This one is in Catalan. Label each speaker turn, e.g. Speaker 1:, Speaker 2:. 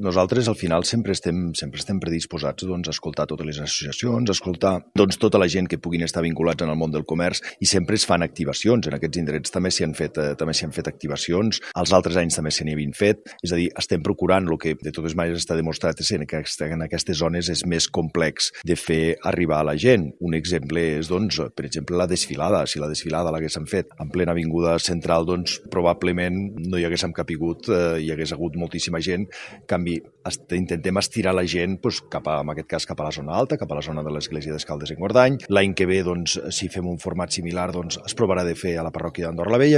Speaker 1: Nosaltres al final sempre estem predisposats a escoltar totes les associacions, a escoltar tota la gent que puguin estar vinculats en el món del comerç i sempre es fan activacions. En aquests indrets també s'hi han fet activacions, els altres anys també se n'hi havien fet, és a dir, estem procurant el que de totes maneres està demostrat és que en aquestes zones és més complex de fer arribar a la gent. Un exemple és, per exemple, la desfilada. Si la desfilada l'haguéssim fet en plena avinguda central, probablement no hi haguéssim capigut, hi hagués hagut moltíssima gent. En canvi, intentem estirar la gent en aquest cas cap a la zona alta, cap a la zona de l'església d'Escaldes en Guardany. L'any que ve, si fem un format similar, es provarà de fer a la parròquia d'Andorra la Vella.